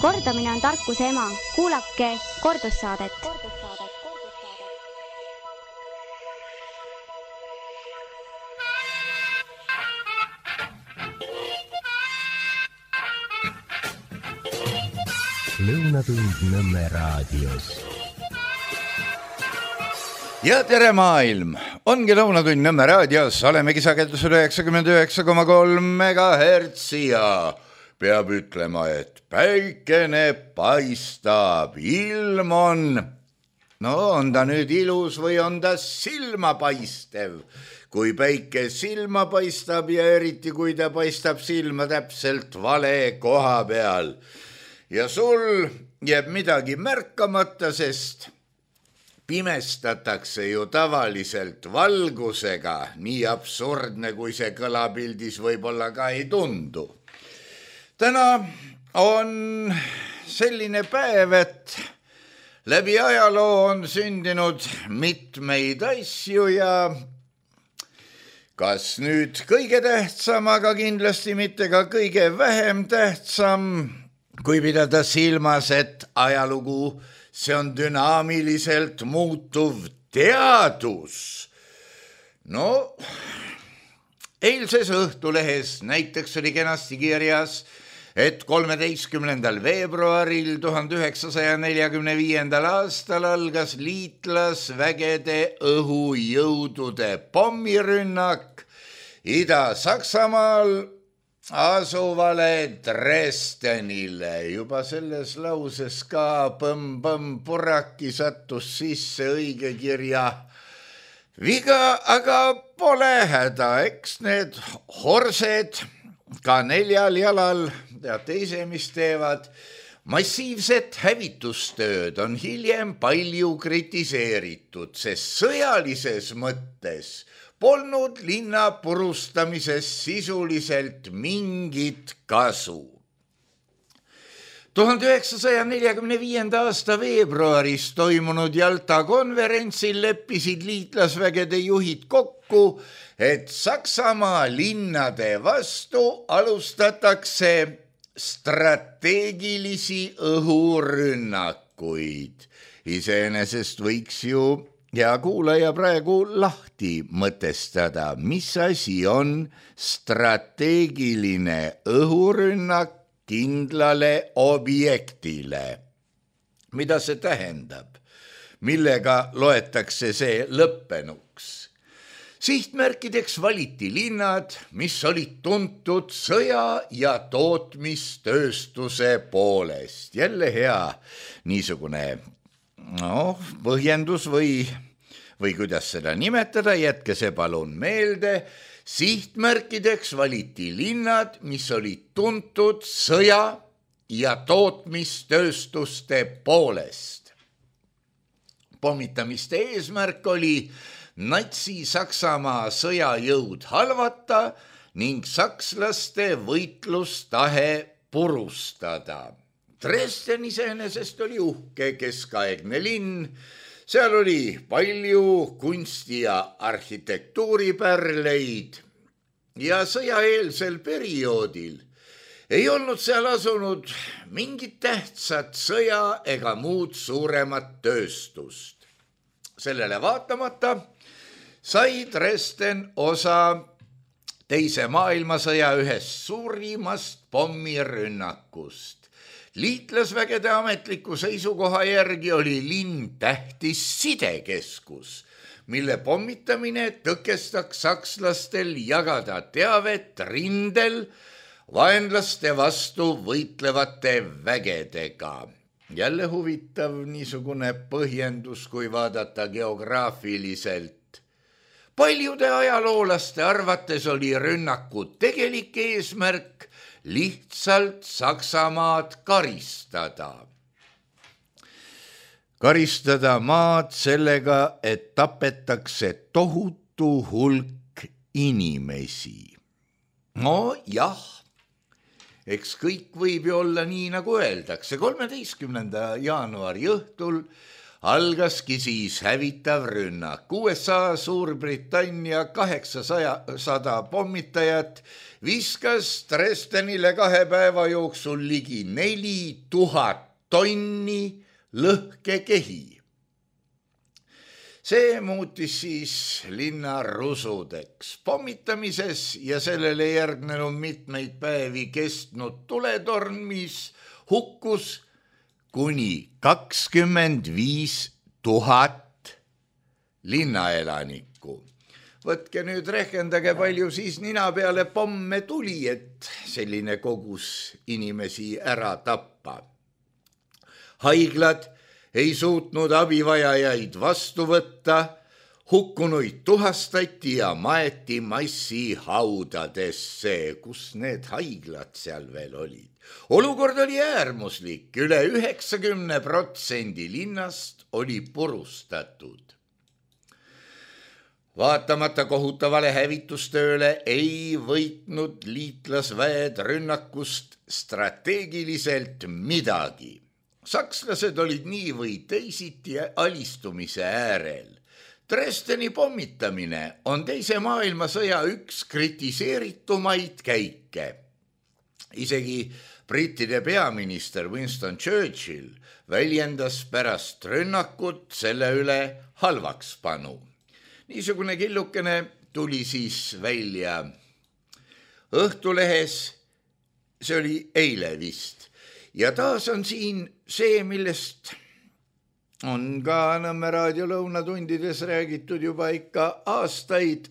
Kordamine on tarkuse ema. Kuulake kordussaadet. Lõunatund Nõmme raadios. Ja tere maailm! Ongi Lõunatund Nõmme raadios, olemegi sagedusel 99,3 MHz ja peab ütlema, et päikene paistab, ilm on. No on ta nüüd ilus või on ta silmapaistev? Kui päike silma paistab ja eriti kui ta paistab silma täpselt vale koha peal. Ja sul jääb midagi märkamata, sest pimestatakse ju tavaliselt valgusega, nii absurdne kui see kõlapildis võib-olla ka ei tundu. Täna on selline päev, et läbi ajaloo on sündinud mitmeid asju ja kas nüüd kõige tähtsam, aga kindlasti mitte ka kõige vähem tähtsam, kui pidada silmas, et ajalugu, see on dünaamiliselt muutuv teadus. No, eilses Õhtulehes näiteks oli kenasti kirjas, et 13. veebruaril 1945. aastal algas liitlasvägede õhujõudude pommirünnak Ida-Saksamaal asuvale Dresdenile. Juba selles lauses ka põmm-põmm-purraki sattus sisse õige kirja viga, aga pole häda, eks need horsed ka 4 jalal teate ise, mis teevad. Massiivset hävitustööd on hiljem palju kritiseeritud, sest sõjalises mõttes polnud linna purustamisest sisuliselt mingit kasu. 1945. aasta veebruaris toimunud Jalta konverentsil leppisid liitlasvägede juhid kokku, et Saksamaa linnade vastu alustatakse strateegilisi õhurünnakuid. Iseenesest võiks ju ja kuulaja praegu lahti mõtestada, mis asi on strateegiline õhurünnak kindlale objektile. Mida see tähendab? Millega loetakse see lõppenuks? Sihtmärkideks valiti linnad, mis olid tuntud sõja- ja tootmistööstuse poolest. Jälle hea niisugune põhjendus või kuidas seda nimetada, jätke see palun meelde. Sihtmärkideks valiti linnad, mis olid tuntud sõja- ja tootmistööstuste poolest. Pommitamiste eesmärk oli Natsi-Saksamaa sõjajõud halvata ning sakslaste võitlustahe purustada. Dresden iseenesest oli uhke keskaegne linn, seal oli palju kunsti- ja arhitektuuripärleid ja sõjaeelsel perioodil ei olnud seal asunud mingit tähtsat sõja ega muud suuremat tööstust. Sellele vaatamata sai Dresden osa Teise maailmasõja ühest suurimast pommirünnakust. Liitlasvägede ametliku seisukoha järgi oli linn tähtis sidekeskus, mille pommitamine tõkestaks sakslastel jagada teavet rindel vaenlaste vastu võitlevate vägedega. Jälle huvitav niisugune põhjendus, kui vaadata geograafiliselt. Paljude ajaloolaste arvates oli rünnaku tegelik eesmärk lihtsalt Saksamaad karistada. Karistada maad sellega, et tapetakse tohutu hulk inimesi. No jah, eks kõik võib ju olla nii, nagu öeldakse. 13. jaanuari õhtul algaski siis hävitav rünnak. USA, Suurbritannia 800 pommitajat viskas Dresdenile 2 päeva jooksul ligi 4000 tonni lõhkekehi. See muutis siis linna rusudeks. Pommitamises ja sellele järgnenud mitmeid päevi kestnud tuletormis hukkus kuni 25 000 linnaelanikku. Võtke nüüd rehkendage, palju siis nina peale pomme tuli, et selline kogus inimesi ära tappa. Haiglad ei suutnud abivajajaid vastu võtta, hukkunuid tuhastati ja maeti massihaudadesse, kus need haiglad seal veel olid. Olukord oli äärmuslik, üle 90% linnast oli purustatud. Vaatamata kohutavale hävitustööle ei võitnud liitlasväed rünnakust strateegiliselt midagi. Sakslased olid nii või teisiti alistumise äärel. Dresdeni pommitamine on teise maailmasõja üks kritiseeritumaid käike. Isegi brittide peaminister Winston Churchill väljendas pärast rünnakut selle üle halvakspanu. Niisugune killukene tuli siis välja Õhtulehes, see oli eile vist. Ja taas on siin see, millest on ka Nõmme raadio lõunatundides räägitud juba ikka aastaid,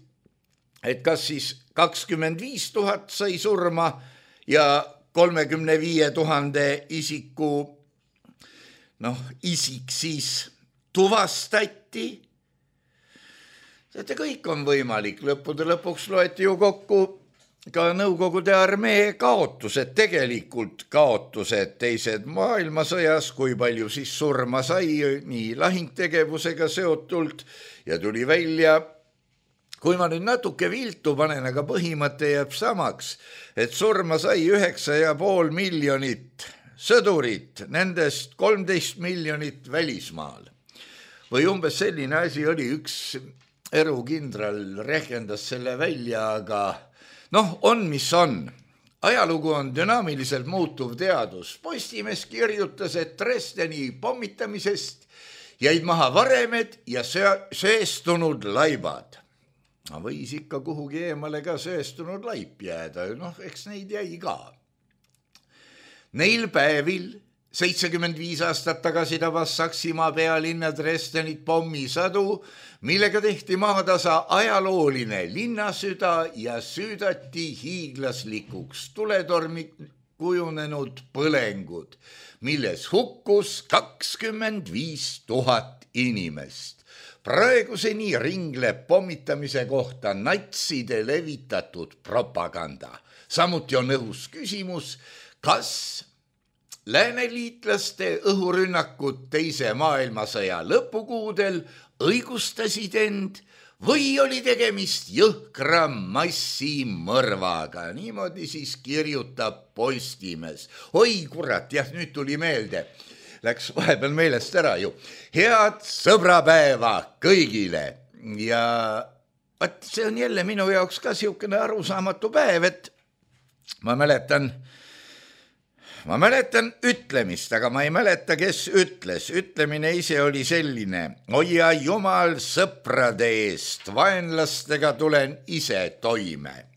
et kas siis 25 000 sai surma ja 35 000 isik siis tuvastati. Kõik on võimalik, lõppude lõpuks loeti ju kokku ka Nõukogude armee kaotused, tegelikult kaotused teised maailmasõjas, kui palju siis surma sai nii lahingtegevusega seotult ja tuli välja, kui ma nüüd natuke viltu panen, aga põhimõte jääb samaks, et surma sai 9,5 miljonit sõdurit, nendest 13 miljonit välismaal. Või umbes selline asi oli, üks erukindral rehkendas selle välja, aga on, mis on. Ajalugu on dünaamiliselt muutuv teadus. Postimees kirjutas, et Dresdeni pommitamisest jäid maha varemed ja söestunud laibad. Võis ikka kuhugi eemale ka söestunud laip jääda, eks neid jäi ka. Neil päevil 75 aastat tagasi tabas Saksimaa pealinna Dresdenit pommisadu, millega tehti maatasa ajalooline linnasüda ja süüdati hiiglaslikuks tuletormi kujunenud põlengud, milles hukkus 25 000 inimest. Praeguseni ringleb pommitamise kohta natside levitatud propaganda. Samuti on õhus küsimus, kas lääneliitlaste õhurünnakud teise maailmasõja lõpukuudel õigustasid end või oli tegemist jõhkra massimõrvaga. Niimoodi siis kirjutab Postimees. Oi kurat, jah, nüüd tuli meelde. Läks vahepeal meelest ära ju. Head sõbrapäeva kõigile. Ja see on jälle minu jaoks ka siukene arusaamatu päev, et ma mäletan ütlemist, aga ma ei mäleta, kes ütles. Ütlemine ise oli selline: hoia jumal sõprade eest, vaenlastega tulen ise toime.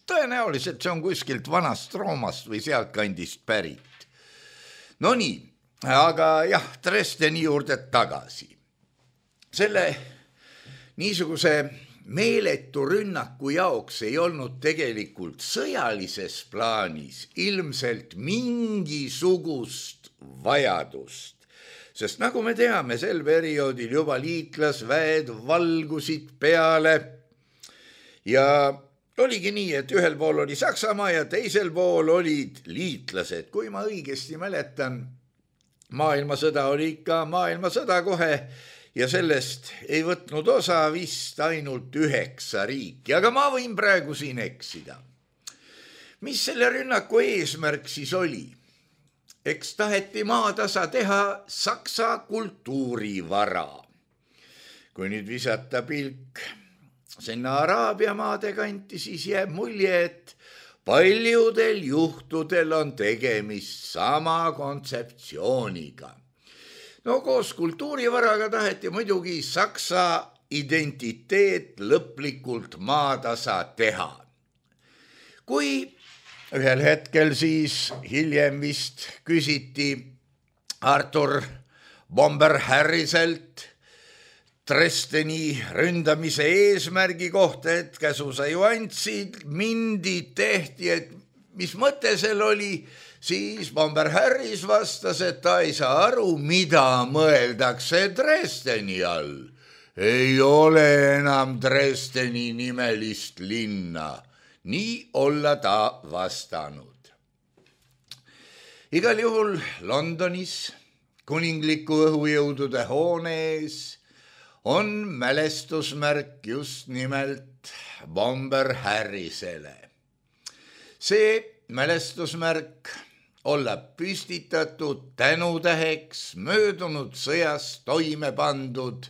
Tõenäoliselt see on kuskilt vanast Roomast või sealt kandist pärit. No nii, aga jah, Dresdeni juurde tagasi. Selle niisuguse meeletu rünnaku jaoks ei olnud tegelikult sõjalises plaanis ilmselt mingisugust vajadust, sest nagu me teame, sel perioodil juba liitlasväed valgusid peale ja oligi nii, et ühel pool oli Saksamaa ja teisel pool olid liitlased. Kui ma õigesti mäletan, maailmasõda oli ikka maailmasõda kohe, ja sellest ei võtnud osa vist ainult 9 riiki, aga ma võin praegu siin eksida. Mis selle rünnaku eesmärk siis oli? eks taheti maatasa teha saksa kultuurivara. Kui nüüd visata pilk sinna Araabia maade kanti, siis jääb mulje, et paljudel juhtudel on tegemist sama kontseptsiooniga. No koos kultuurivaraga taheti muidugi saksa identiteet lõplikult maatasa teha. Kui ühel hetkel siis hiljem vist küsiti Arthur Bomber Harriselt Dresdeni ründamise eesmärgi kohta, et käsu sa ju andsid, mindi tehti, et mis mõte seal oli, siis Bomber Harris vastas, et ta ei saa aru, mida mõeldakse Dresdeni all. Ei ole enam Dresdeni nimelist linna. Nii olla ta vastanud. Igal juhul Londonis kuningliku õhujõudude hoone ees on mälestusmärk just nimelt Bomber Harrisele. See mälestusmärk olla püstitatud tänutäheks möödunud sõjas toime pandud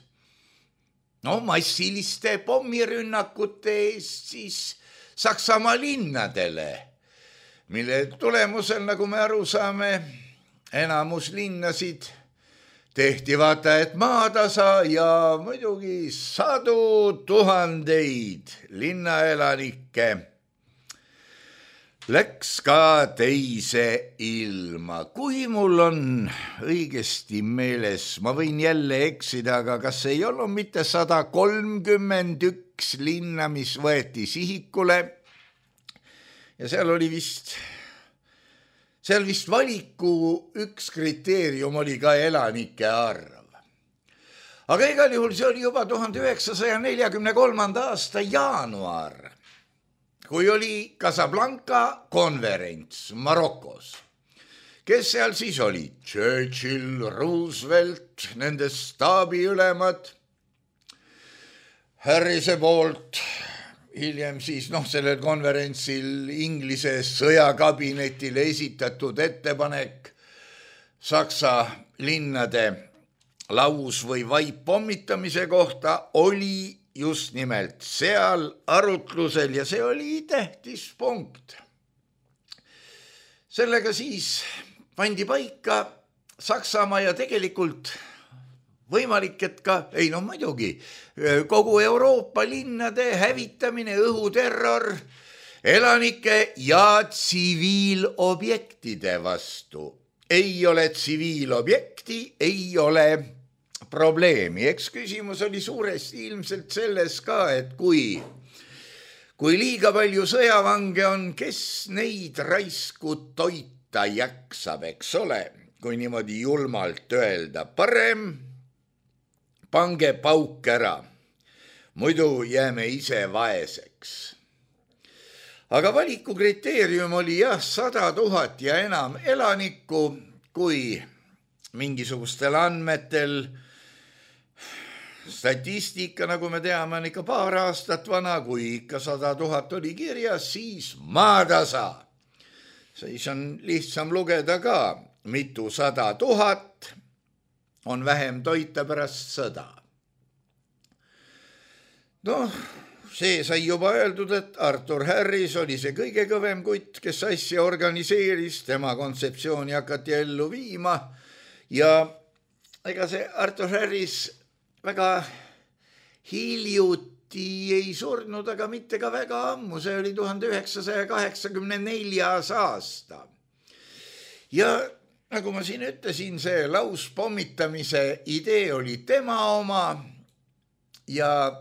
massiliste pommirünnakute eest siis Saksamaa linnadele, mille tulemusel, nagu me aru saame, enamus linnasid tehti vaata, et maatasa ja muidugi sadu tuhandeid linnaelanikke läks ka teise ilma. Kui mul on õigesti meeles, ma võin jälle eksida, aga kas ei olnud mitte 131 linna, mis võeti sihikule ja seal vist valiku üks kriteerium oli ka elanike arv. Aga igal juhul see oli juba 1943. aasta jaanuar, kui oli Casablanca konverents Marokos. Kes seal siis oli? Churchill, Roosevelt, nende staabiülemad, Harrise poolt hiljem siis sellel konverentsil Inglise sõjakabinetile esitatud ettepanek Saksa linnade laus- või vaippomitamise kohta oli just nimelt seal arutlusel ja see oli tähtis punkt. Sellega siis pandi paika Saksamaa ja tegelikult võimalik, et ka, muidugi, kogu Euroopa linnade hävitamine, õhuterror, elanike ja tsiviilobjektide vastu. Ei ole tsiviilobjekti, ei ole probleemi. Eks küsimus oli suuresti ilmselt selles ka, et kui liiga palju sõjavange on, kes neid raisku toita jaksab, eks ole, kui niimoodi julmalt öelda, parem pange pauk ära, muidu jääme ise vaeseks. Aga valiku kriteerium oli 100 000 ja enam elanikku, kui mingisugustel andmetel, statistika, nagu me teame, on ikka paar aastat vana, kui ikka 100 000 oli kirjas, siis maatasa. Siis on lihtsam lugeda ka, mitu 100 000 on vähem toita pärast sõda. See sai juba öeldud, et Arthur Harris oli see kõige kõvem kutt, kes asja organiseeris, tema kontseptsiooni hakati ellu viima ja ega see Arthur Harris väga hiljuti ei surnud, aga mitte ka väga ammu, see oli 1984. aasta. Ja nagu ma siin ütlesin, see lauspomitamise idee oli tema oma ja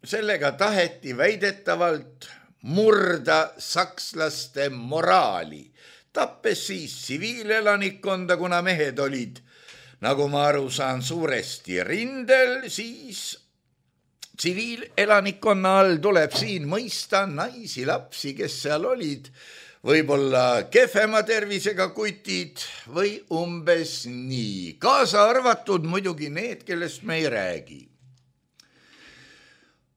sellega taheti väidetavalt murda sakslaste moraali, tappes siis tsiviilelanikkonda, kuna mehed olid, nagu ma aru saan, suuresti rindel, siis tsiviilelanikkonna all tuleb siin mõista naisi, lapsi, kes seal olid, võib-olla kehvema tervisega kutid või umbes nii, kaasa arvatud muidugi need, kellest me ei räägi.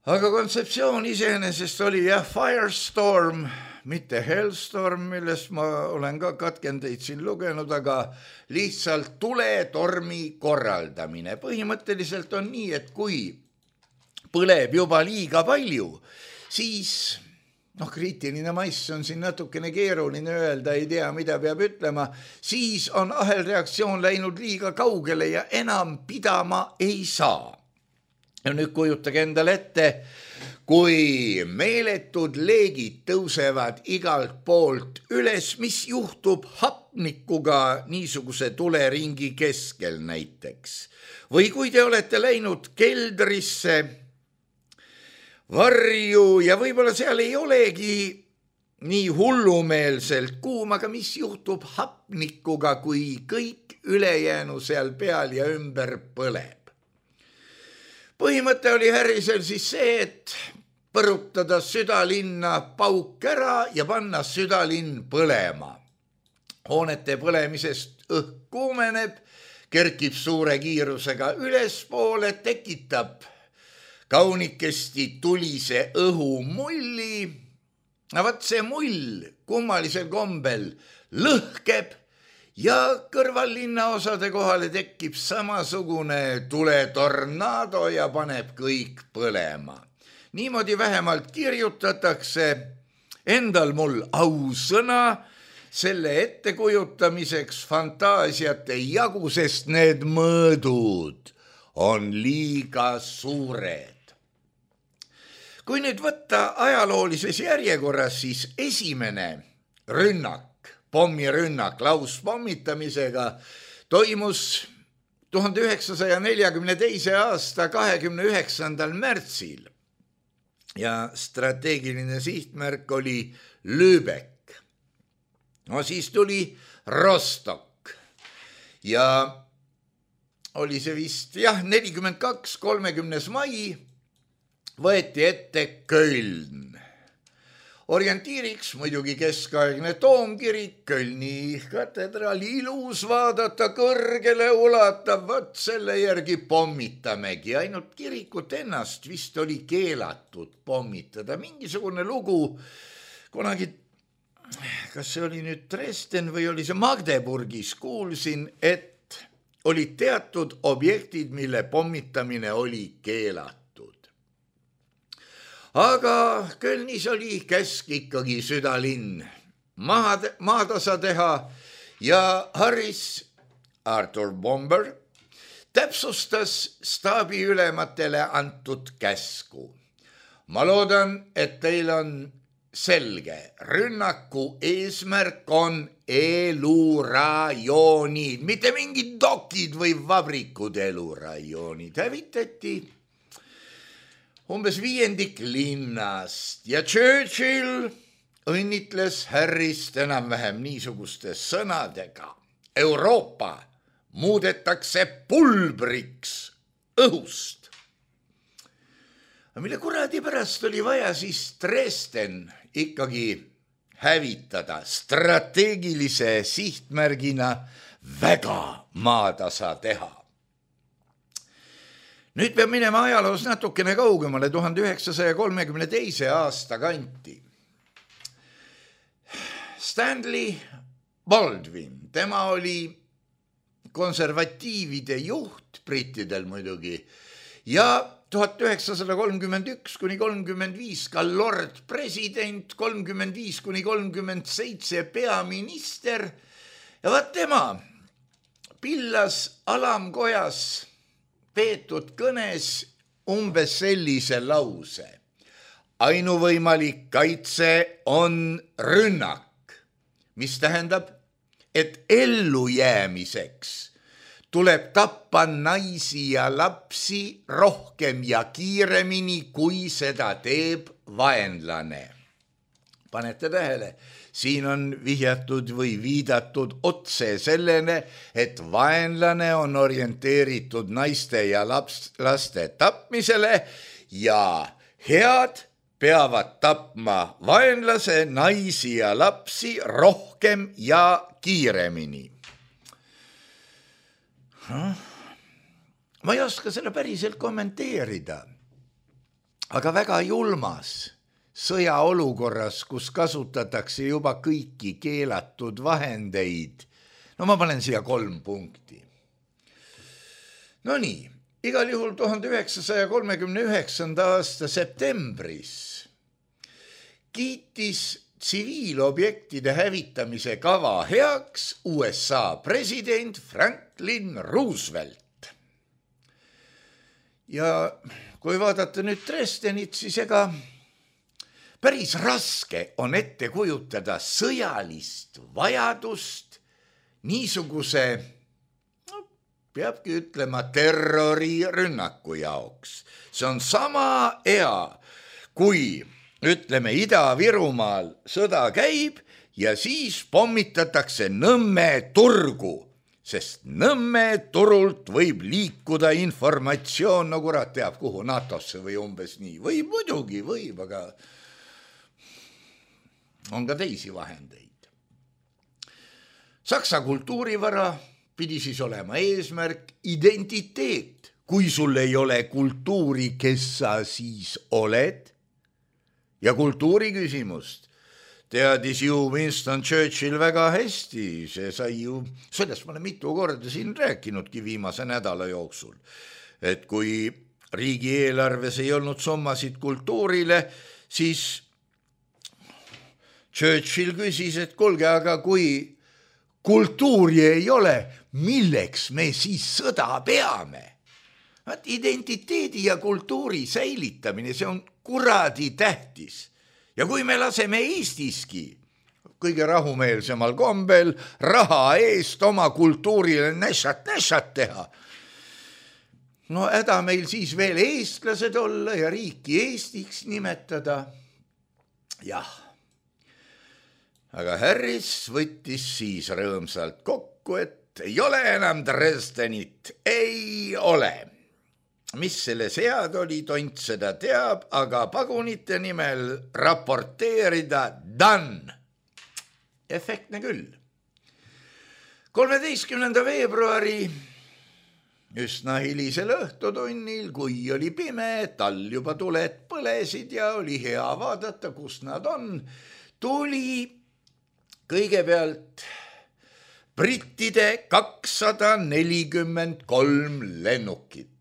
Aga kontseptsioon iseenesest oli Firestorm, mitte Hellstorm, millest ma olen ka katkendeid siin lugenud, aga lihtsalt tuletormi korraldamine. Põhimõtteliselt on nii, et kui põleb juba liiga palju, siis kriitiline mass on siin natukene keeruline öelda, ei tea, mida peab ütlema, siis on ahelreaktsioon läinud liiga kaugele ja enam pidama ei saa. Ja nüüd kujutage endale ette, kui meeletud leegid tõusevad igalt poolt üles, mis juhtub hapnikuga niisuguse tuleringi keskel näiteks. Või kui te olete läinud keldrisse varju ja võib-olla seal ei olegi nii hullumeelselt kuum, aga mis juhtub hapnikuga, kui kõik ülejäänu seal peal ja ümber põleb. Põhimõte oli Harrisel siis see, et põrutada südalinna pauk ära ja panna südalinn põlema. Hoonete põlemisest õhk kuumeneb, kerkib suure kiirusega ülespoole, tekitab kaunikesti tulise õhumulli. Vaat see mull kummalisel kombel lõhkeb ja kõrval linnaosade kohale tekib samasugune tuletornaado ja paneb kõik põlema. Niimoodi vähemalt kirjutatakse endal mul ausõna selle ettekujutamiseks fantaasiat ei jagu, sest need mõõdud on liiga suured. Kui nüüd võtta ajaloolises järjekorras, siis esimene rünnak, pommirünnak lauspommitamisega toimus 1942. aasta 29. märtsil ja strateegiline sihtmärk oli Lübeck. Siis tuli Rostock ja oli see vist 42. 30. mai võeti ette Köln. Orientiiriks muidugi keskaegne toomkirik, Kölni katedraali ilus vaadata, kõrgele ulatav, võt selle järgi pommitamegi. Ainult kirikut ennast vist oli keelatud pommitada. Mingisugune lugu kunagi, kas see oli nüüd Dresden või oli see Magdeburgis, kuulsin, et olid teatud objektid, mille pommitamine oli keelatud. Aga Kölnis oli käsk ikkagi südalinn maatasa teha ja Harris, Arthur Bomber, täpsustas staabiülematele antud käsku. Ma loodan, et teil on selge. Rünnaku eesmärk on elurajoonid, mitte mingid dokid või vabrikud elurajoonid. Hävitati umbes 5% linnast ja Churchill õnnitles Harrist enam-vähem niisuguste sõnadega. Euroopa muudetakse pulbriks õhust. Mille kuradi pärast oli vaja siis Dresden ikkagi hävitada strateegilise sihtmärgina väga maatasa teha. Nüüd peab minema ajaloos natukene kaugemale 1932. aasta kanti. Stanley Baldwin, tema oli konservatiivide juht, brittidel muidugi, ja 1931–35 ka lord president, 35–37 peaminister ja vaat tema pillas alamkojas peetud kõnes umbes sellise lause. Ainuvõimalik kaitse on rünnak, mis tähendab, et ellujäämiseks tuleb tappa naisi ja lapsi rohkem ja kiiremini, kui seda teeb vaenlane. Panete tähele, siin on vihjatud või viidatud otse sellene, et vaenlane on orienteeritud naiste ja laste tapmisele ja head peavad tapma vaenlase, naisi ja lapsi rohkem ja kiiremini. Ma ei oska selle päriselt kommenteerida, aga väga julmas sõjaolukorras, kus kasutatakse juba kõiki keelatud vahendeid. No ma panen siia 3 punkti. No nii, igal juhul 1939. aasta septembris kiitis tsiviilobjektide hävitamise kava heaks USA president Franklin Roosevelt. Ja kui vaadata nüüd Dresdenit, siis ega päris raske on ette kujutada sõjalist vajadust niisuguse, peabki ütlema, terrorirünnaku jaoks. See on sama hea, kui ütleme Ida-Virumaal sõda käib ja siis pommitatakse Nõmme turgu, sest Nõmme turult võib liikuda informatsioon, no kurat teab kuhu, NATO-sse või umbes nii. Võib muidugi, võib, aga on ka teisi vahendeid. Saksa kultuurivara pidi siis olema eesmärk identiteet. Kui sul ei ole kultuuri, kes sa siis oled? Ja kultuuri küsimust teadis ju Winston Churchill väga hästi, see sai ju, sellest ma olen mitu korda siin rääkinudki viimase nädala jooksul, et kui riigieelarves ei olnud summasid kultuurile, siis Churchill küsis, et kuulge, aga kui kultuuri ei ole, milleks me siis sõda peame? Identiteedi ja kultuuri säilitamine, see on kuradi tähtis. Ja kui me laseme Eestiski kõige rahumeelsemal kombel raha eest oma kultuurile näšat teha, no häda meil siis veel eestlased olla ja riiki Eestiks nimetada. Jah, aga Harris võttis siis rõõmsalt kokku, et ei ole enam Dresdenit, ei ole. Mis selle sead oli, tont seda teab, aga pagunite nimel raporteerida done. Efektne küll. 13. veebruari üsna hilisel õhtutunnil, kui oli pime, tal juba tuled põlesid ja oli hea vaadata, kus nad on, tuli kõigepealt brittide 243 lennukit.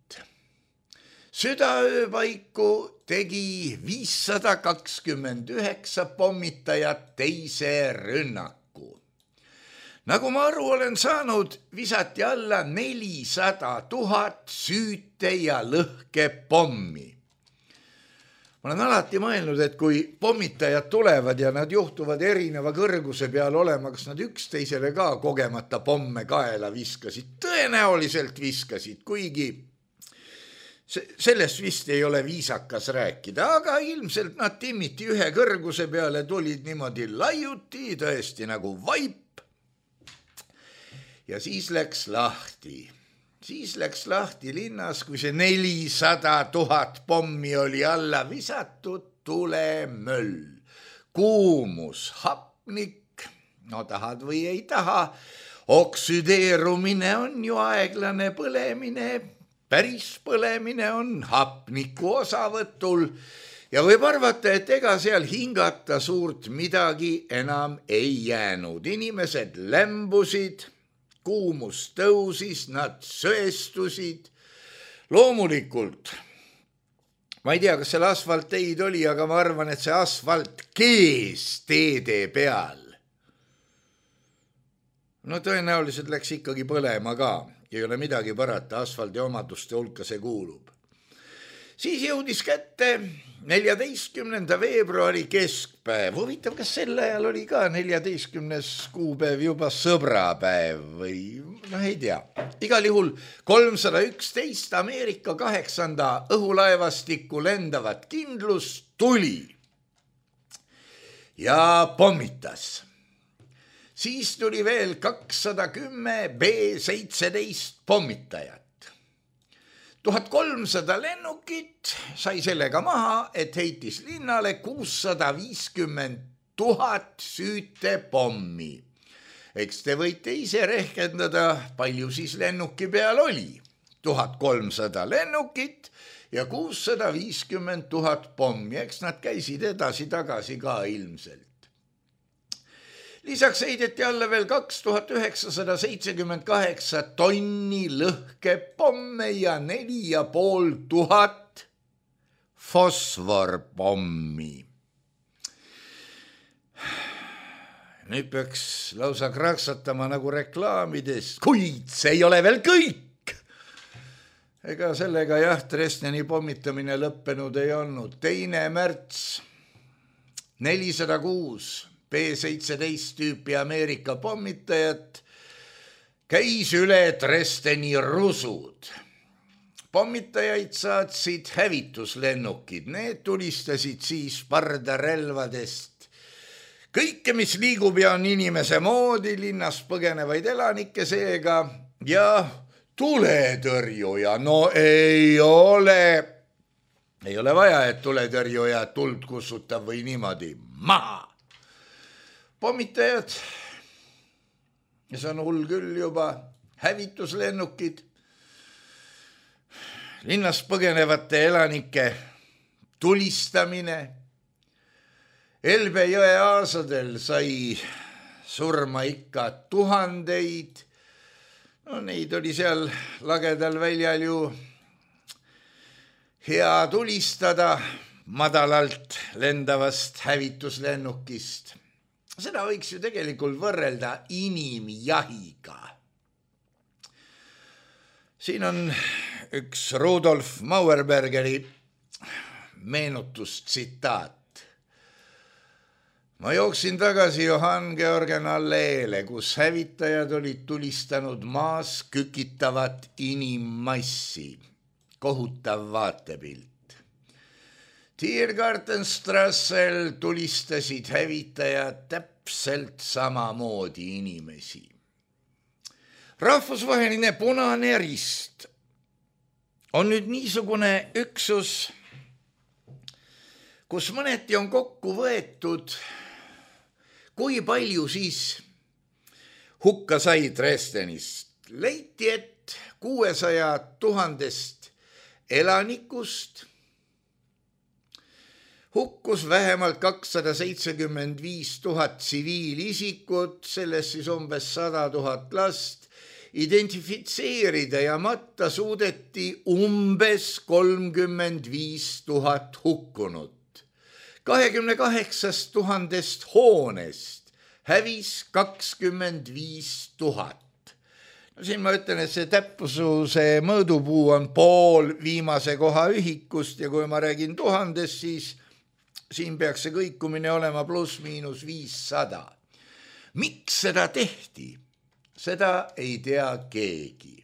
Südaöö paiku tegi 529 pommitajat teise rünnaku. Nagu ma aru olen saanud, visati alla 400 000 süüte ja lõhkepommi. Ma olen alati mõelnud, et kui pommitajad tulevad ja nad juhtuvad erineva kõrguse peal olema, kas nad üksteisele ka kogemata pomme kaela viskasid, tõenäoliselt viskasid, kuigi sellest vist ei ole viisakas rääkida, aga ilmselt nad timmiti ühe kõrguse peale, tulid niimoodi laiuti, tõesti nagu vaip. Ja siis läks lahti. Siis läks lahti linnas, kui see 400 000 pommi oli alla visatud, tulemöll, kuumus, hapnik, no tahad või ei taha, oksüdeerumine on ju aeglane põlemine, päris põlemine on hapniku osavõtul ja võib arvata, et ega seal hingata suurt midagi enam ei jäänud. Inimesed lämbusid, kuumus tõusis, nad söestusid. Loomulikult, ma ei tea, kas seal asfaltteid oli, aga ma arvan, et see asfalt kees teede peal. No tõenäoliselt läks ikkagi põlema ka. Ei ole midagi parata, asfaldi omaduste hulka see kuulub. Siis jõudis kätte 14. veebruari keskpäev. Huvitav, kas sel ajal oli ka 14. kuupäev juba sõbrapäev või ei tea. Igal juhul 311 Ameerika 8. õhulaevastikku lendavat kindlus tuli ja pommitas. Siis tuli veel 210 B-17 pommitajat. 1300 lennukit sai sellega maha, et heitis linnale 650 000 süütepommi. Eks te võite ise rehkendada, palju siis lennuki peal oli. 1300 lennukit ja 650 000 pommi, eks nad käisid edasi-tagasi ka ilmselt. Lisaks heideti alla veel 2978 tonni lõhkepomme ja 4500 fosforpommi. Nüüd peaks lausa kraksatama nagu reklaamides, kuid see ei ole veel kõik. Ega sellega Dresdeni pommitamine lõppenud ei olnud. 2. märts 406 B-17 tüüpi Ameerika pommitajat käis üle Dresdeni rusud. Pommitajaid saatsid hävituslennukid, need tulistasid siis pardarelvadest kõike, mis liigub ja on inimese moodi, linnas põgenevaid elanikke seega ja tuletõrjuja. No ei ole vaja, et tuletõrjuja tuld kussutab või niimoodi maha. Pommitajad, ja see on hull küll juba, hävituslennukid, linnas põgenevate elanike tulistamine. Elbe jõe aasadel sai surma ikka tuhandeid. No neid oli seal lagedal väljal ju hea tulistada madalalt lendavast hävituslennukist. Seda võiks ju tegelikult võrrelda inimjahiga. Siin on üks Rudolf Mauerbergeri meenutustsitaat. Ma jooksin tagasi Johann Georgen alleele, kus hävitajad olid tulistanud maas kükitavat inimmassi. Kohutav vaatepilt. Tiergartenstrassel tulistasid hävitajad täpselt samamoodi inimesi. Rahvusvaheline Punane Rist on nüüd niisugune üksus, kus mõneti on kokku võetud, kui palju siis hukka sai Dresdenist. Leiti, et 600 000 elanikust hukkus vähemalt 275 000 tsiviilisikut, sellest siis umbes 100 000 last. Identifitseerida ja matta suudeti umbes 35 000 hukkunut. 28 000 hoonest hävis 25 000. No siin ma ütlen, et see täpsuse mõõdupuu on pool viimase koha ühikust ja kui ma räägin 1000, siis siin peaks see kõikumine olema pluss-miinus 500. Miks seda tehti? Seda ei tea keegi.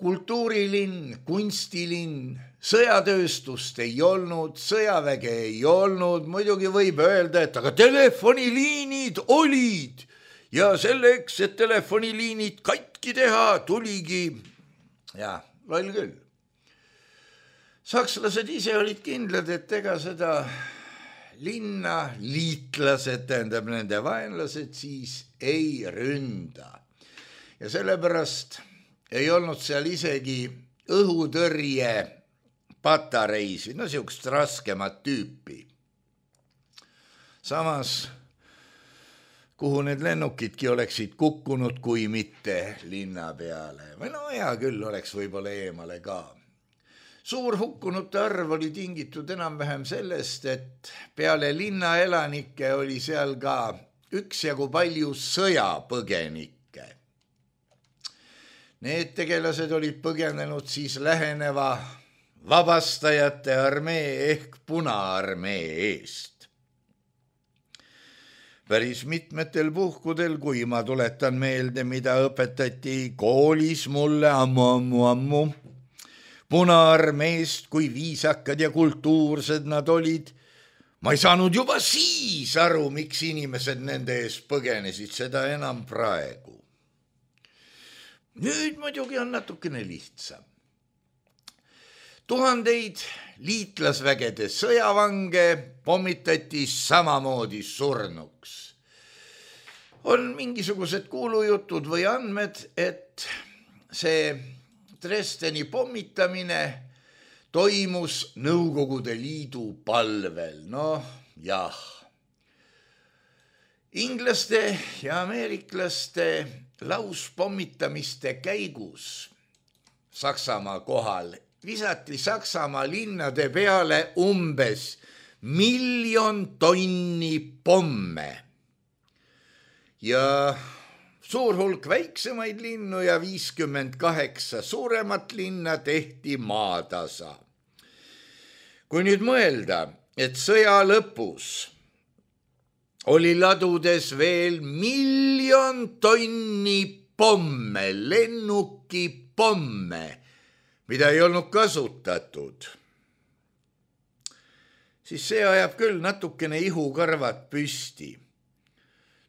Kultuurilinn, kunstilinn, sõjatööstust ei olnud, sõjaväge ei olnud, muidugi võib öelda, et aga telefoniliinid olid ja selleks, et telefoniliinid katki teha, tuligi, ja loll küll. Sakslased ise olid kindlad, et ega seda linna liitlased, tähendab nende vaenlased, siis ei ründa. Ja sellepärast ei olnud seal isegi õhutõrje patareisid, no siukest raskemat tüüpi. Samas, kuhu need lennukidki oleksid kukkunud, kui mitte linna peale. Või no hea küll, oleks võib-olla eemale ka. Suur hukkunute arv oli tingitud enam-vähem sellest, et peale linna elanike oli seal ka üksjagu palju sõjapõgenikke. Need tegelased olid põgenenud siis läheneva vabastajate armee ehk Punaarmee eest. Päris mitmetel puhkudel, kui ma tuletan meelde, mida õpetati koolis mulle ammu, Punaarmeest, kui viisakad ja kultuursed nad olid, ma ei saanud juba siis aru, miks inimesed nende ees põgenesid, seda enam praegu. Nüüd muidugi on natukene lihtsam. Tuhandeid liitlasvägede sõjavange pommitati samamoodi surnuks. On mingisugused kuulujutud või andmed, et see Dresdeni pommitamine toimus Nõukogude Liidu palvel. Noh, jah. Inglaste ja ameeriklaste lauspommitamiste käigus Saksamaa kohal visati Saksamaa linnade peale umbes 1 000 000 tonni pomme ja suur hulk väiksemaid linnu ja 58 suuremat linna tehti maatasa. Kui nüüd mõelda, et sõja lõpus oli ladudes veel 1 000 000 tonni pomme, lennukipomme, mida ei olnud kasutatud, siis see ajab küll natukene ihukarvad püsti.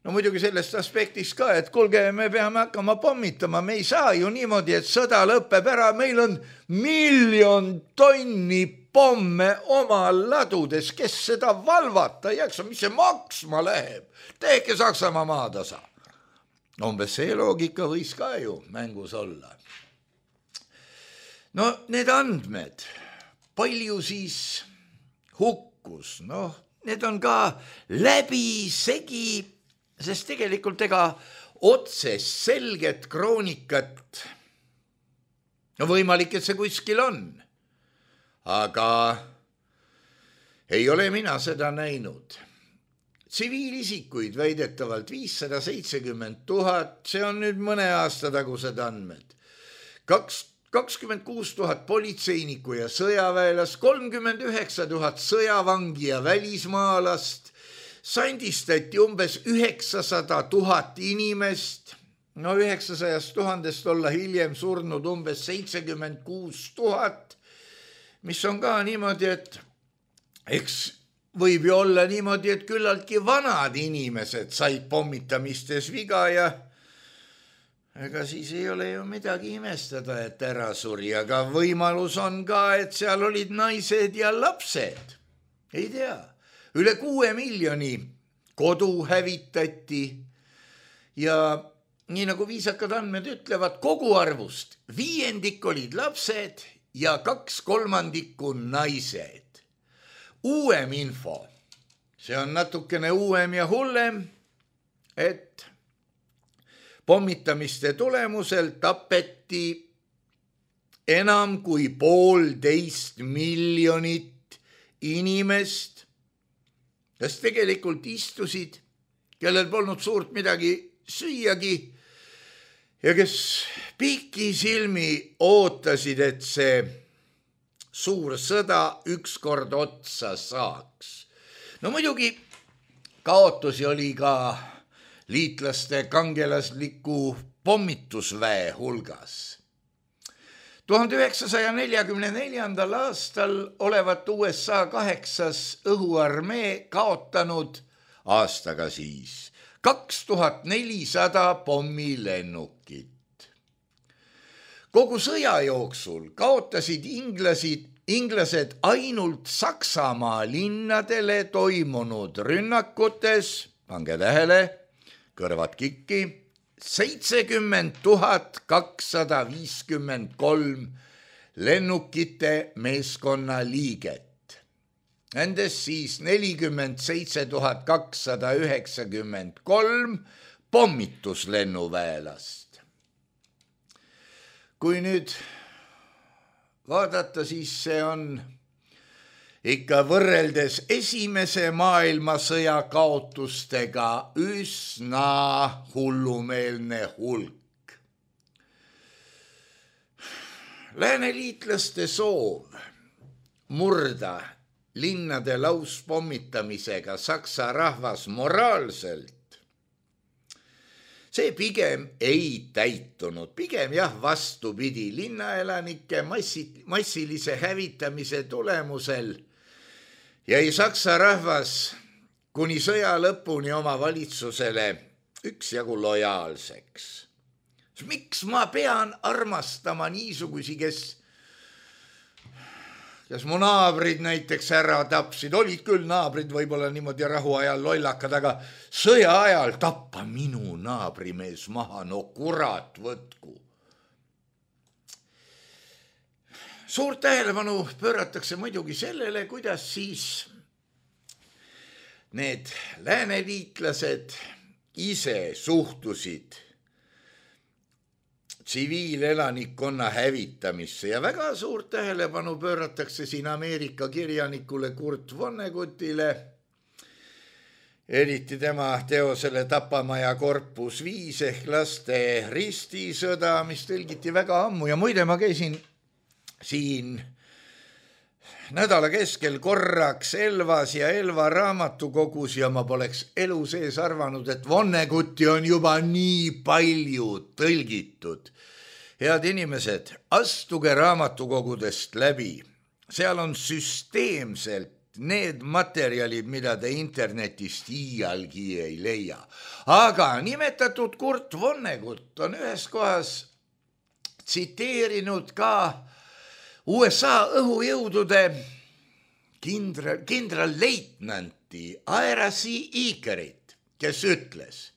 No muidugi sellest aspektist ka, et kuulge, me peame hakkama pommitama, me ei saa ju niimoodi, et sõda lõpeb ära, meil on 1 000 000 tonni pomme oma ladudes, kes seda valvata ei jaksa, mis see maksma läheb, tehke Saksamaa maatasa. Umbes see loogika võis ka ju mängus olla. No need andmed, palju siis hukkus, noh, need on ka läbisegi, sest tegelikult ega otsest selget kroonikat, no võimalik, et see kuskil on, aga ei ole mina seda näinud. Tsiviilisikuid väidetavalt 570 000, see on nüüd mõne aasta tagused andmed. 26 000 politseinikku ja sõjaväelast, 39 000 sõjavangi ja välismaalast, sandistati umbes 900 000 inimest, no 900 000 olla hiljem surnud umbes 76 000, mis on ka niimoodi, et eks võib ju olla niimoodi, et küllaltki vanad inimesed said pommitamistes viga ja ega siis ei ole ju midagi imestada, et ära suri, aga võimalus on ka, et seal olid naised ja lapsed. Ei tea, üle 6 miljoni kodu hävitati ja nii nagu viisakad andmed ütlevad, kogu arvust 5% olid lapsed ja 2/3 naised. Uuem info, see on natukene uuem ja hullem, et pommitamiste tulemusel tapeti enam kui 1,5 miljonit inimest, kes tegelikult istusid, kellel polnud suurt midagi süüagi ja kes pikisilmi ootasid, et see suur sõda ükskord otsa saaks. No muidugi kaotusi oli ka liitlaste kangelasliku pommitusväe hulgas. 1944. aastal olevat USA 8. õhuarmee kaotanud aastaga siis 2400 pommilennukit. Kogu sõja jooksul kaotasid inglased ainult Saksamaa linnadele toimunud rünnakutes, pange tähele, kõrvad kikki, 70 253 lennukite meeskonna liiget. Nendest siis 47 293 pommituslennuväelast. Kui nüüd vaadata, siis see on ikka võrreldes esimese maailmasõja kaotustega üsna hullumeelne hulk. Lääneliitlaste soov murda linnade lauspommitamisega Saksa rahvas moraalselt, see pigem ei täitunud, pigem jah vastupidi, linnaelanike massilise hävitamise tulemusel jäi Saksa rahvas kuni sõja lõpuni oma valitsusele üksjagu lojaalseks. Miks ma pean armastama niisugusi, kes mu naabrid näiteks ära tapsid, olid küll naabrid võib-olla niimoodi rahuajal lollakad, aga sõja ajal tappa minu naabrimees maha, no kurat võtku. suurt tähelepanu pööratakse muidugi sellele, kuidas siis need lääneliitlased ise suhtusid tsiviilelanikkonna hävitamisse ja väga suurt tähelepanu pööratakse siin Ameerika kirjanikule Kurt Vonnegutile, eriti tema teosele Tapamaja korpus 5 ehk laste ristisõda, mis tõlgiti väga ammu ja muide ma käisin siin nädala keskel korraks Elvas ja Elva raamatukogus ja ma poleks elu sees arvanud, et Vonnegutti on juba nii palju tõlgitud. Head inimesed, astuge raamatukogudest läbi. Seal on süsteemselt need materjalid, mida te internetist iialgi ei leia. Aga nimetatud Kurt Vonnegut on ühes kohas tsiteerinud ka USA õhujõudude kindralleitnanti Ira C. Eakerit, kes ütles: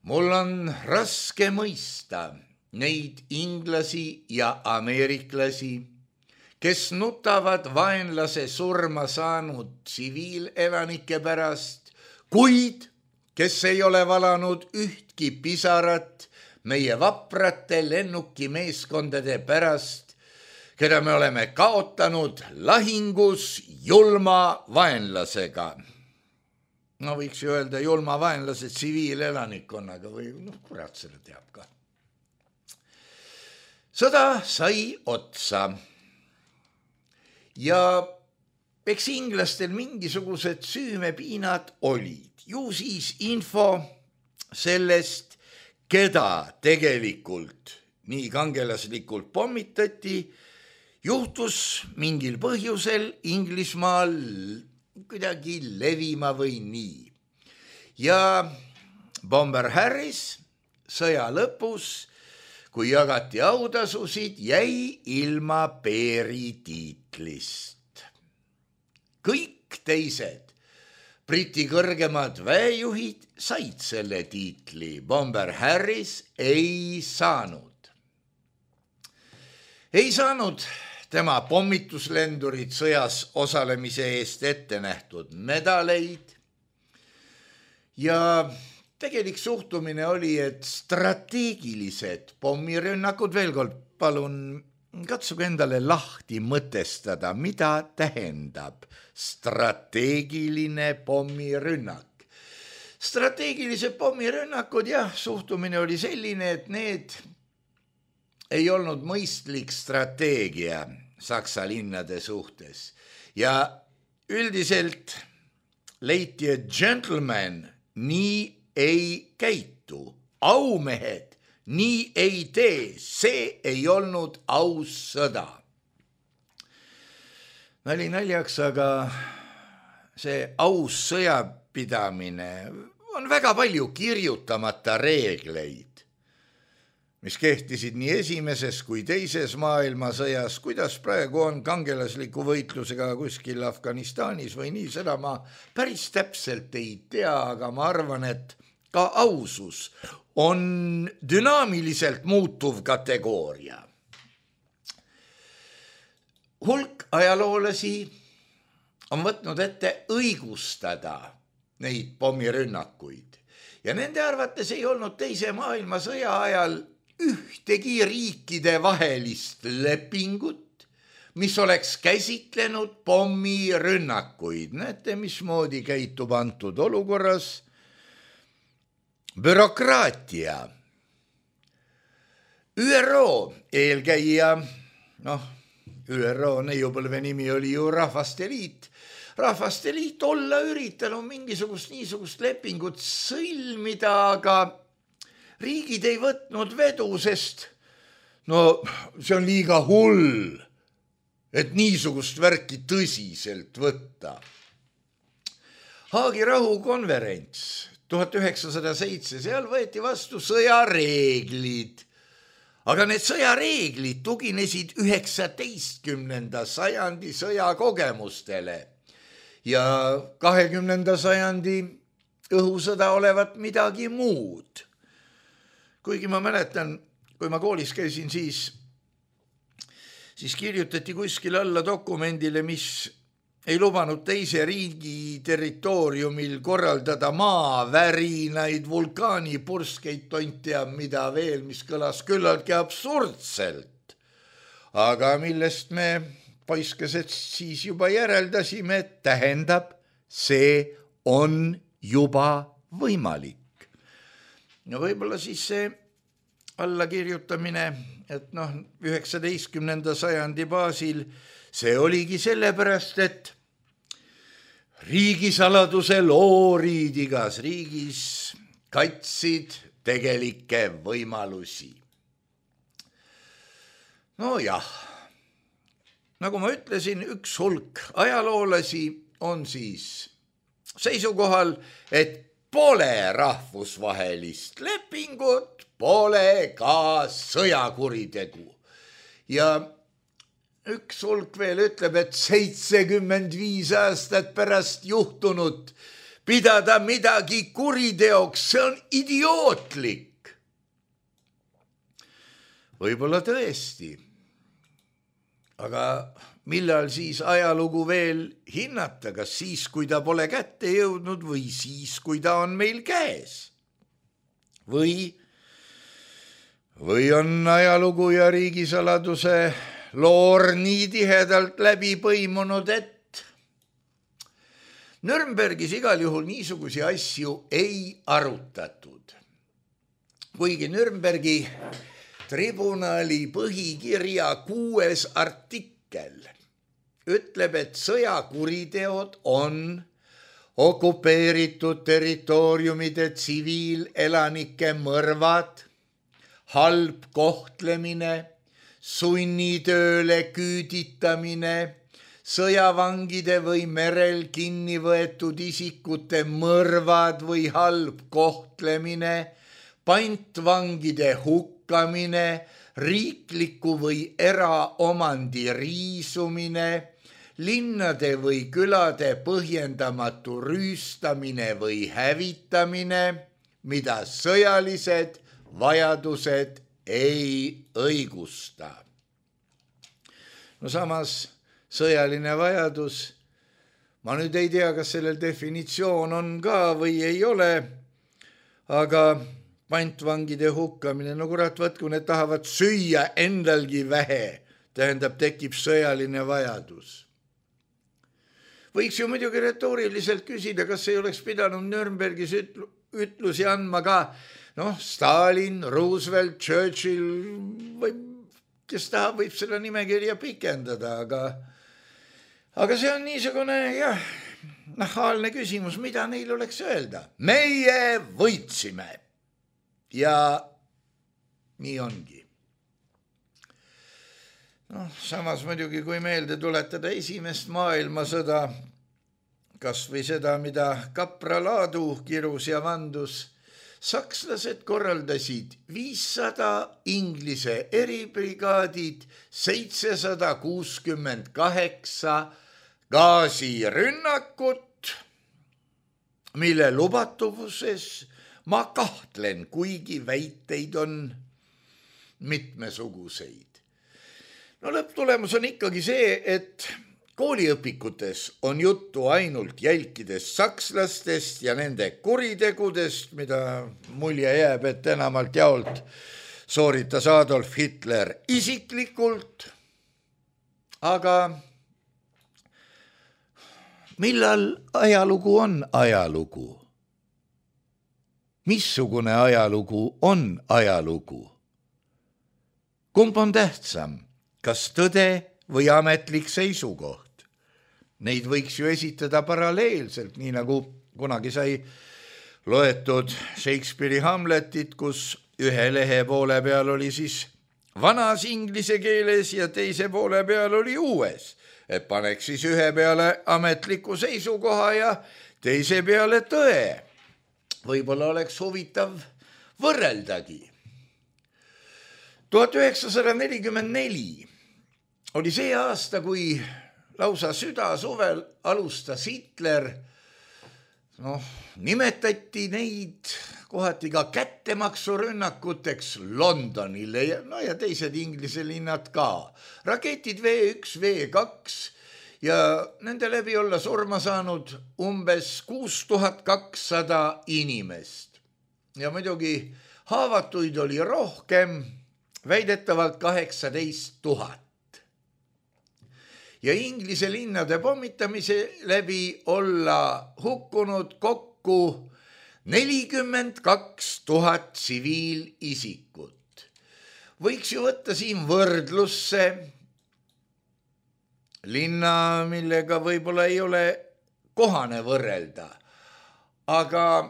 mul on raske mõista neid inglasi ja ameeriklasi, kes nutavad vaenlase surma saanud tsiviilelanike pärast, kuid kes ei ole valanud ühtki pisarat meie vaprate lennukimeeskondade pärast, keda me oleme kaotanud lahingus julma vaenlasega. No võiks ju öelda julma vaenlase tsiviilelanikkonnaga või kurat selle teab ka. Sõda sai otsa ja eks inglastel mingisugused süümepiinad olid. Ju siis info sellest, keda tegelikult nii kangelaslikult pommitati, juhtus mingil põhjusel Inglismaal kuidagi levima või nii. Ja Bomber Harris sõja lõpus, kui jagati autasusid, jäi ilma Peeri tiitlist. Kõik teised Briti kõrgemad väejuhid said selle tiitli, Bomber Harris ei saanud. Ei saanud tema pommituslendurid sõjas osalemise eest ette nähtud medaleid ja tegelik suhtumine oli, et strateegilised pommirünnakud, veel kord palun katsuge endale lahti mõtestada, mida tähendab strateegiline pommirünnak. Strateegilised pommirünnakud, jah, suhtumine oli selline, et need ei olnud mõistlik strateegia Saksa linnade suhtes ja üldiselt leiti, et gentleman nii ei käitu, aumehed nii ei tee, see ei olnud aus sõda. Nali naljaks, aga see aus sõjapidamine on väga palju kirjutamata reegleid, mis kehtisid nii esimeses kui teises maailmasõjas, kuidas praegu on kangelasliku võitlusega kuskil Afganistanis või nii, seda ma päris täpselt ei tea, aga ma arvan, et ka ausus on dünaamiliselt muutuv kategooria. Hulk ajaloolasi on võtnud ette õigustada neid pommirünnakuid ja nende arvates ei olnud teise maailmasõja ajal ühtegi riikide vahelist lepingut, mis oleks käsitlenud pommirünnakuid. Näete, mismoodi käitub antud olukorras bürokraatia. ÜRO eelkäija, ÜRO neiupõlve nimi oli ju Rahvaste Liit. Rahvaste Liit olla üritanud niisugust lepingut sõlmida, aga riigid ei võtnud vedu, sest see on liiga hull, et niisugust värki tõsiselt võtta. Haagi rahukonverents 1907, seal võeti vastu sõjareeglid, aga need sõjareeglid tuginesid 19. sajandi sõjakogemustele ja 20. sajandi õhusõda olevat midagi muud. Kuigi ma mäletan, kui ma koolis käisin, siis siis kirjutati kuskil alla dokumendile, mis ei lubanud teise riigi territooriumil korraldada maavärinaid, vulkaanipurskeid, tont teab mida veel, mis kõlas küllaltki absurdselt. Aga millest me poiskesed siis juba järeldasime, et tähendab, see on juba võimalik. Ja võib-olla siis see allakirjutamine, et 19. sajandi baasil see oligi sellepärast, et riigisaladuse loorid igas riigis katsid tegelikke võimalusi. Nojah, nagu ma ütlesin, üks hulk ajaloolasi on siis seisukohal, et pole rahvusvahelist lepingut, pole ka sõjakuritegu. Ja üks hulk veel ütleb, et 75 aastat pärast juhtunut pidada midagi kuriteoks, see on idiootlik. Võib-olla tõesti, aga millal siis ajalugu veel hinnata, kas siis, kui ta pole kätte jõudnud või siis, kui ta on meil käes? Või on ajalugu ja riigisaladuse loor nii tihedalt läbi põimunud, et Nürnbergis igal juhul niisugusi asju ei arutatud. Kuigi Nürnbergi tribunali põhikirja 6. artikkel ütleb, et sõjakuriteod on okupeeritud territooriumide tsiviilelanike mõrvad, halb kohtlemine, sunnitööle küüditamine, sõjavangide või merel kinni võetud isikute mõrvad või halb kohtlemine, pantvangide hukkamine, riikliku või eraomandi riisumine, linnade või külade põhjendamatu rüüstamine või hävitamine, mida sõjalised vajadused ei õigusta. No samas sõjaline vajadus, ma nüüd ei tea, kas sellel definitsioon on ka või ei ole, aga pantvangide hukkamine, no kurat, kui need tahavad süüa endalgi vähe, tähendab, tekib sõjaline vajadus. Võiks ju muidugi retooriliselt küsida, kas ei oleks pidanud Nürnbergis ütlusi andma ka Stalin, Roosevelt, Churchill või kes tahab, võib selle nimekirja pikendada, aga see on niisugune nahaalne küsimus, mida neil oleks öelda. Meie võitsime ja nii ongi. Samas muidugi, kui meelde tuletada esimest maailmasõda, kas või seda, mida Kapra Laadu kirus ja vandus, sakslased korraldasid 500 Inglise eribrigaadid, 768 gaasirünnakut, mille lubatuvuses ma kahtlen, kuigi väiteid on mitmesuguseid. Lõpptulemus on ikkagi see, et kooliõpikutes on juttu ainult jälkidest sakslastest ja nende kuritegudest, mida mulje jääb, et enamalt jaolt sooritas Adolf Hitler isiklikult. Aga millal ajalugu on ajalugu? Missugune ajalugu on ajalugu? Kumb on tähtsam? Kas tõde või ametlik seisukoht? Neid võiks ju esitada paralleelselt, nii nagu kunagi sai loetud Shakespeare'i Hamletit, kus ühe lehe poole peal oli siis vanas inglise keeles ja teise poole peal oli uues. Et paneks siis ühe peale ametliku seisukoha ja teise peale tõe. Võib-olla oleks huvitav võrreldagi. 1944 oli see aasta, kui lausa südasuvel alustas Hitler, nimetati neid kohati ka kättemaksurünnakuteks Londonile ja teised Inglise linnad ka. Raketid V1, V2 ja nende läbi olla surma saanud umbes 6200 inimest. Ja muidugi haavatuid oli rohkem, väidetavalt 18 000. Ja Inglise linnade pommitamise läbi olla hukkunud kokku 42 000 tsiviilisikut. Võiks ju võtta siin võrdlusse linna, millega võib-olla ei ole kohane võrrelda, aga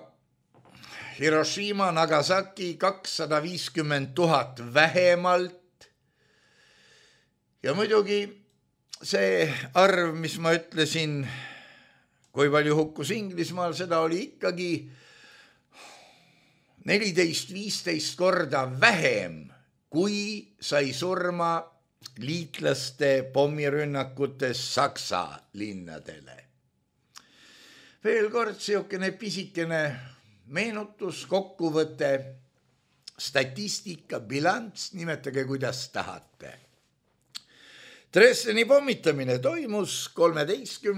Hiroshima, Nagasaki 250 000 vähemalt. Ja muidugi see arv, mis ma ütlesin, kui palju hukkus Inglismaal, seda oli ikkagi 14-15 korda vähem, kui sai surma liitlaste pommirünnakutes Saksa linnadele. Veel kord siukene pisikene meenutus, kokkuvõte, statistika, bilanss, nimetage kuidas tahate. Dresdeni pommitamine toimus 13.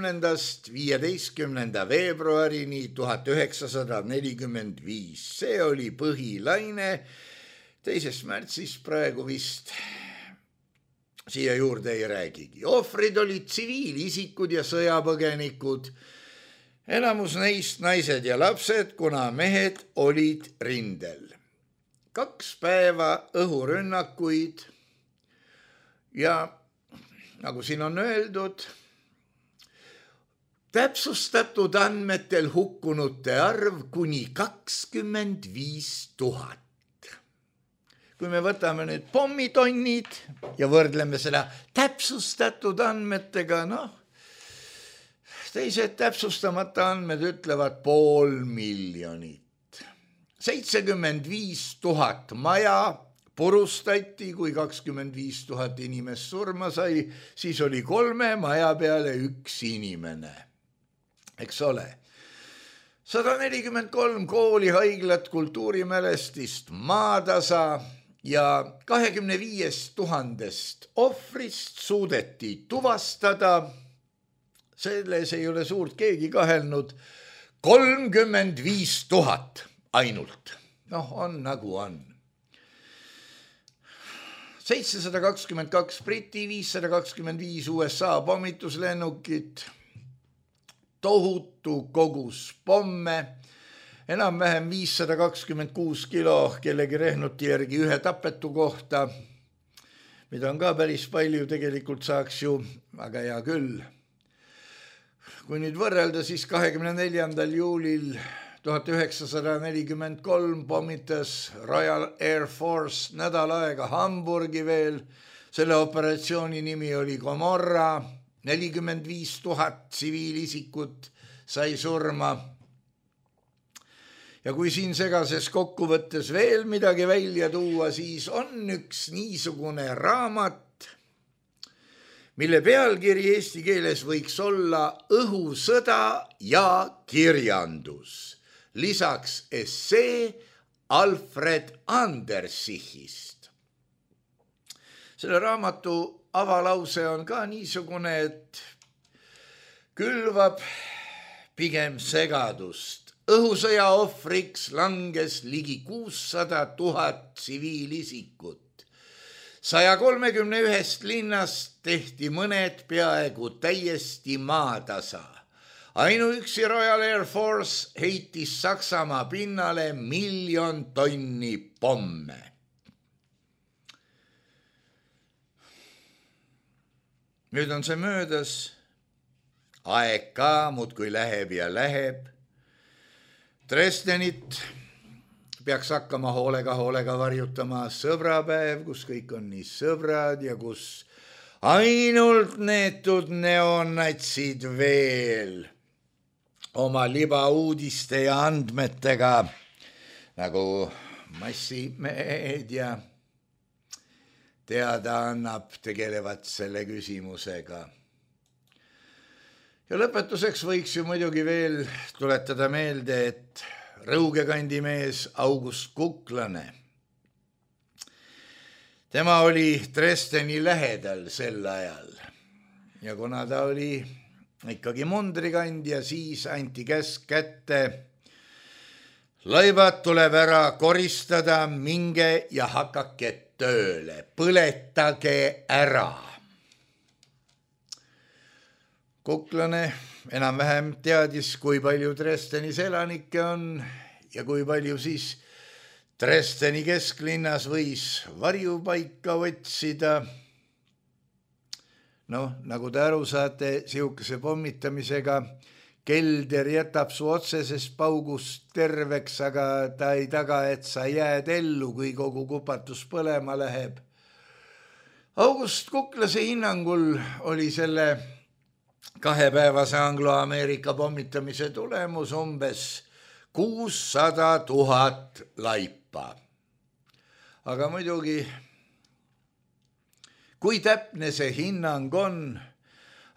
15. veebruarini 1945. See oli põhilaine. 2. märtsis praegu vist siia juurde ei räägigi. Ohvrid olid tsiviilisikud ja sõjapõgenikud. Enamus neist naised ja lapsed, kuna mehed olid rindel. 2 päeva õhurünnakuid ja nagu siin on öeldud, täpsustatud andmetel hukkunute arv kuni 25 000. Kui me võtame nüüd pommitonnid ja võrdleme seda täpsustatud andmetega, teised täpsustamata andmed ütlevad 500 000. 75 000 maja purustati, kui 25 000 inimest surma sai, siis oli 3 maja peale 1 inimene. Eks ole. 143 kooli, haiglat, kultuurimälestist, maatasa ja 25 000 ohvrist suudeti tuvastada. Selles ei ole suurt keegi kahelnud. 35 000 ainult. On nagu on. 722 Briti, 525 USA pommituslennukit, tohutu kogus pomme, enam-vähem 526 kilo kellegi rehnuti järgi ühe tapetu kohta, mida on ka päris palju, tegelikult saaks ju, aga hea küll. Kui nüüd võrrelda, siis 24. juulil 1943 pommitas Royal Air Force nädal aega Hamburgi veel. Selle operatsiooni nimi oli Gomorra. 45 000 tsiviilisikut sai surma. Ja kui siin segases kokkuvõttes veel midagi välja tuua, siis on üks niisugune raamat, mille pealkiri eesti keeles võiks olla Õhusõda ja kirjandus. Lisaks essee Alfred Andersichist. Selle raamatu avalause on ka niisugune, et külvab pigem segadust. Õhusõja ohvriks langes ligi 600 000 tsiviilisikut. 131 linnast tehti mõned peaaegu täiesti maatasa. Ainuüksi Royal Air Force heitis Saksamaa pinnale 1 000 000 tonni pomme. Nüüd on see möödas. Aeg ka muudkui läheb ja läheb. Dresdenit peaks hakkama hoolega varjutama sõbrapäev, kus kõik on nii sõbrad ja kus ainult neetud neonatsid veel oma libauudiste ja andmetega, nagu massimeedia teada annab, tegelevad selle küsimusega. Ja lõpetuseks võiks ju muidugi veel tuletada meelde, et Rõuge kandi mees August Kuklane. Tema oli Dresdeni lähedal sel ajal ja kuna ta oli ikkagi mundrikandja, siis anti käsk kätte. Laibad tuleb ära koristada, minge ja hakake tööle, põletage ära. Kuklane enam-vähem teadis, kui palju Dresdenis elanikke on ja kui palju siis Dresdeni kesklinnas võis varjupaika otsida. Nagu te aru saate, sihukese pommitamisega kelder jätab su otsesest paugust terveks, aga ta ei taga, et sa jääd ellu, kui kogu kupatus põlema läheb. August Kuklase hinnangul oli selle 2-päevase Anglo-Ameerika pommitamise tulemus umbes 600 000 laipa. Aga muidugi, kui täpne see hinnang on,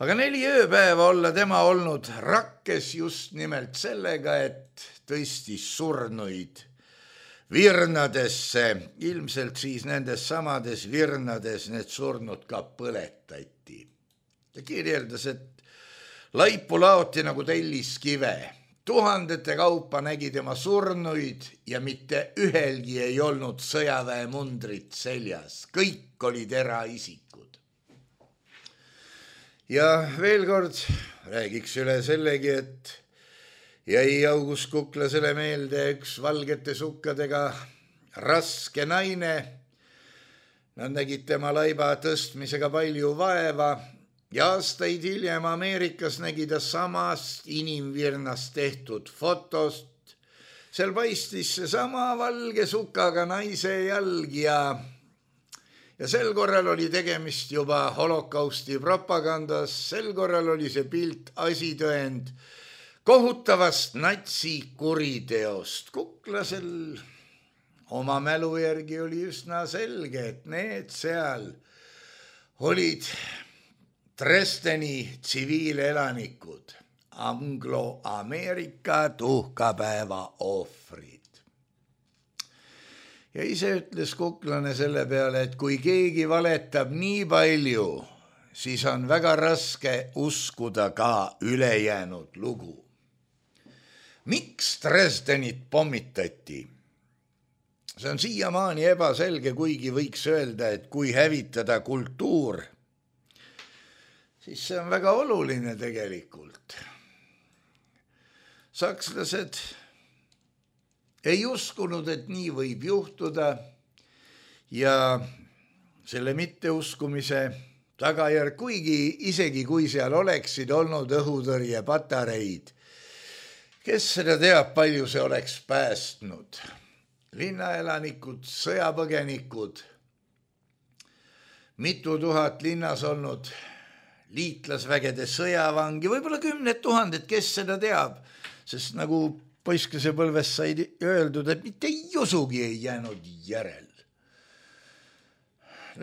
aga 4 ööpäeva olla tema olnud rakkes just nimelt sellega, et tõstis surnuid virnadesse, ilmselt siis nendes samades virnades need surnud ka põletati. Ta kirjeldas, et laipu laoti nagu telliskive. Tuhandete kaupa nägi tema surnuid ja mitte ühelgi ei olnud sõjaväemundrit seljas. Kõik olid eraisikud. Ja veel kord räägiks üle sellegi, et jäi August Kuklasele meelde üks valgete sukkadega raske naine. Nad nägid tema laiba tõstmisega palju vaeva. Ja aastaid hiljem Ameerikas nägi ta samast inimvirnast tehtud fotost. Seal paistis see sama valge sukaga naise jalg ja sel korral oli tegemist juba holokausti propagandas. Sel korral oli see pilt asitõend kohutavast natsikuriteost. Kuklasel oma mälu järgi oli üsna selge, et need seal olid Dresdeni tsiviilelanikud, Anglo-Ameerika tuhkapäeva ohvrid. Ja ise ütles Kuklane selle peale, et kui keegi valetab nii palju, siis on väga raske uskuda ka ülejäänud lugu. Miks Dresdenit pommitati? See on siiamaani ebaselge, kuigi võiks öelda, et kui hävitada kultuur, siis see on väga oluline tegelikult. Sakslased ei uskunud, et nii võib juhtuda ja selle mitteuskumise tagajärg, kuigi isegi kui seal oleksid olnud õhutõrjepatareid, kes seda teab, palju see oleks päästnud. Linnaelanikud, sõjapõgenikud, mitu tuhat linnas olnud liitlasvägede sõjavangi, võib-olla 10 000, kes seda teab, sest nagu poiskese põlves sai öeldud, et mitte josugi ei jäänud järel.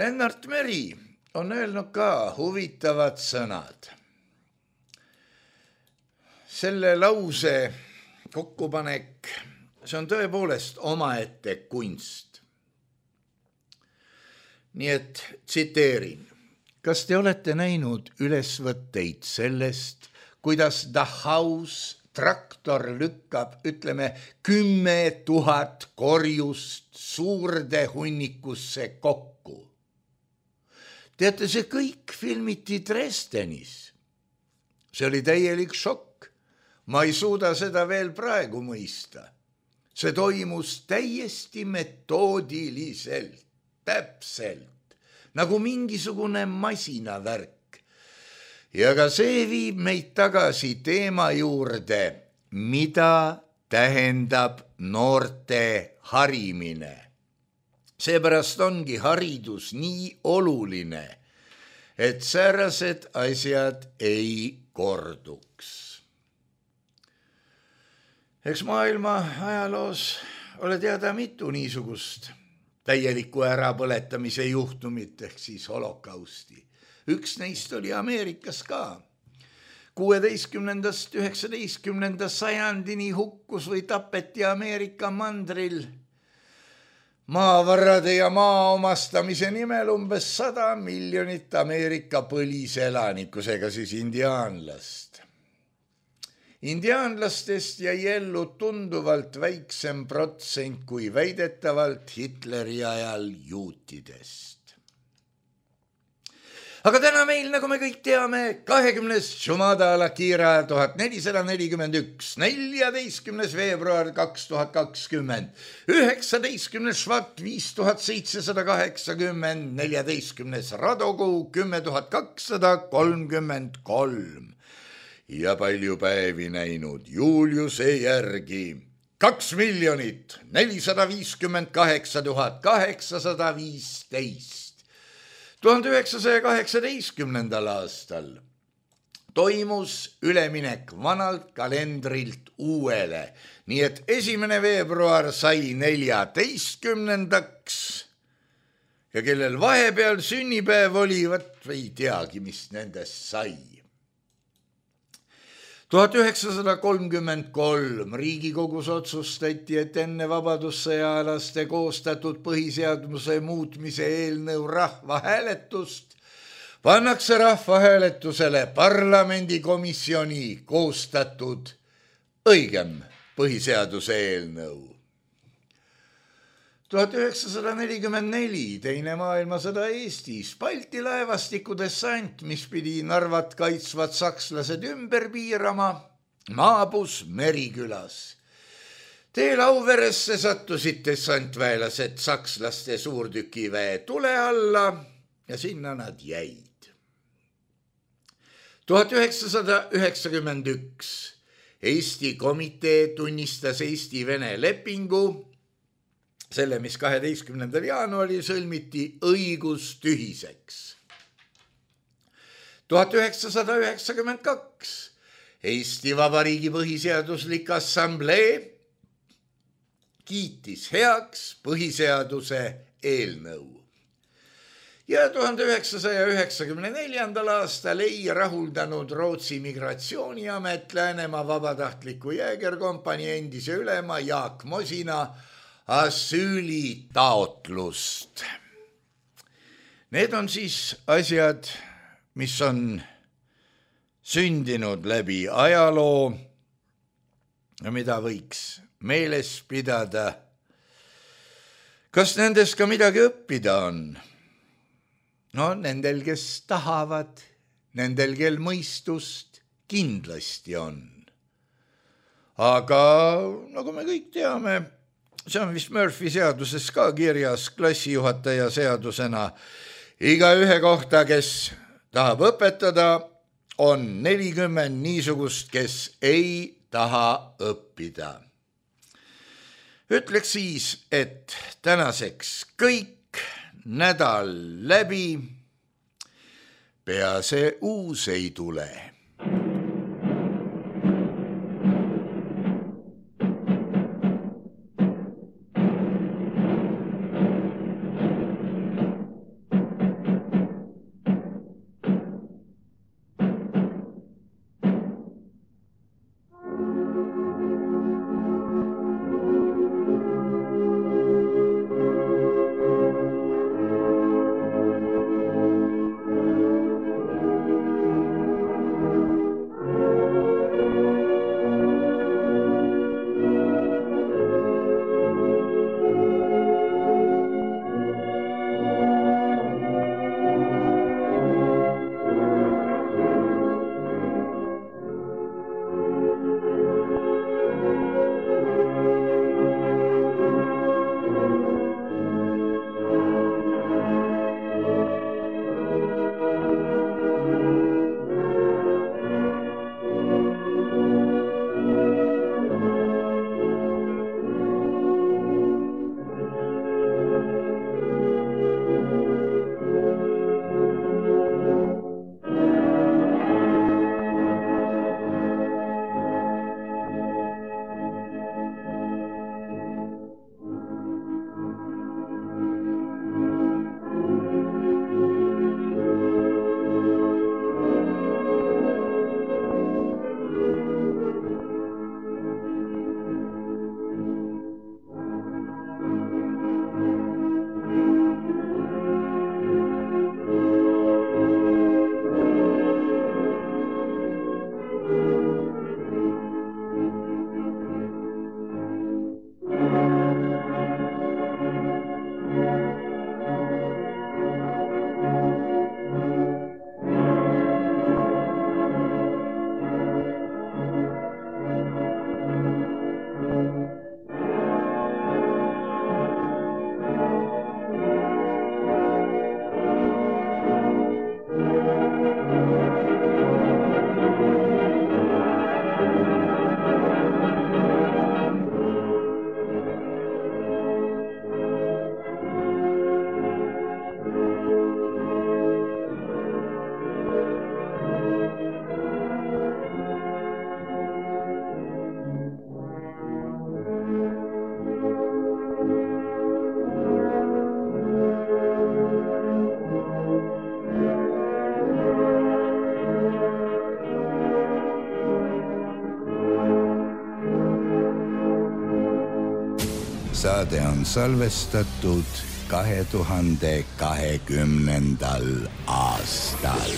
Lennart Meri on öelnud ka huvitavad sõnad. Selle lause kokkupanek, see on tõepoolest omaette kunst. Nii et tsiteerin. Kas te olete näinud ülesvõtteid sellest, kuidas Dachhaus traktor lükkab, 10 000 korjust suurde hunnikusse kokku? Teate, see kõik filmiti Dresdenis. See oli täielik šokk. Ma ei suuda seda veel praegu mõista. See toimus täiesti metoodiliselt, täpselt. Nagu mingisugune masinavärk. Ja ka see viib meid tagasi teema juurde, mida tähendab noorte harimine. Seepärast ongi haridus nii oluline, et säärased asjad ei korduks. Eks maailma ajaloos ole teada mitu niisugust täieliku ärapõletamise juhtumit ehk siis holokausti. Üks neist oli Ameerikas ka, 16. 19. sajandini hukkus või tapeti Ameerika mandril maavarade ja maa omastamise nimel umbes 100 miljonit Ameerika põliselanikku, seega siis indiaanlast. Indiaanlastest jäi ellu tunduvalt väiksem protsent kui väidetavalt Hitleri ajal juutidest. Aga täna meil, nagu me kõik teame, 20. Jumada al-Akhira 1441, 14. veebruar 2020, 19. Švat 5780, 14. Radokuu 10233 ja palju päevi näinud Juliuse järgi 2 458 815. 1918. aastal toimus üleminek vanalt kalendrilt uuele, nii et 1. veebruar sai 14. ja kellel vahepeal sünnipäev oli, ei teagi, mis nendest sai. 1933 Riigikogus otsustati, et enne vabadussõjaalaste koostatud põhiseaduse muutmise eelnõu rahvahääletust pannakse rahvahääletusele parlamendikomisjoni koostatud õigem põhiseaduse eelnõu. 1944 Teine maailmasõda Eestis, Balti laevastiku dessant, mis pidi Narvat kaitsvad sakslased ümber piirama, maabus Merikülas. Teel Auveresse sattusid dessantväelased sakslaste suurtükiväe tule alla ja sinna nad jäid. 1991 Eesti komitee tunnistas Eesti-Vene lepingu, selle, mis 12. jaanuaril sõlmiti, õigustühiseks. 1992 Eesti Vabariigi Põhiseaduslik Assamblee kiitis heaks põhiseaduse eelnõu. Ja 1994. aastal ei rahuldanud Rootsi migratsiooniamet Läänemaa vabatahtliku jäägerkompanii endise ülema Jaak Mosina asüülitaotlust. Need on siis asjad, mis on sündinud läbi ajaloo ja mida võiks meeles pidada. Kas nendest ka midagi õppida on? No nendel, kes tahavad, nendel, kel mõistust kindlasti on. Aga nagu me kõik teame, see on vist Murphy seaduses ka kirjas klassijuhataja seadusena. Iga ühe kohta, kes tahab õpetada, on 40 niisugust, kes ei taha õppida. Ütleks siis, et tänaseks kõik, nädal läbi, pea see uus ei tule. saade on salvestatud 2020. aastal.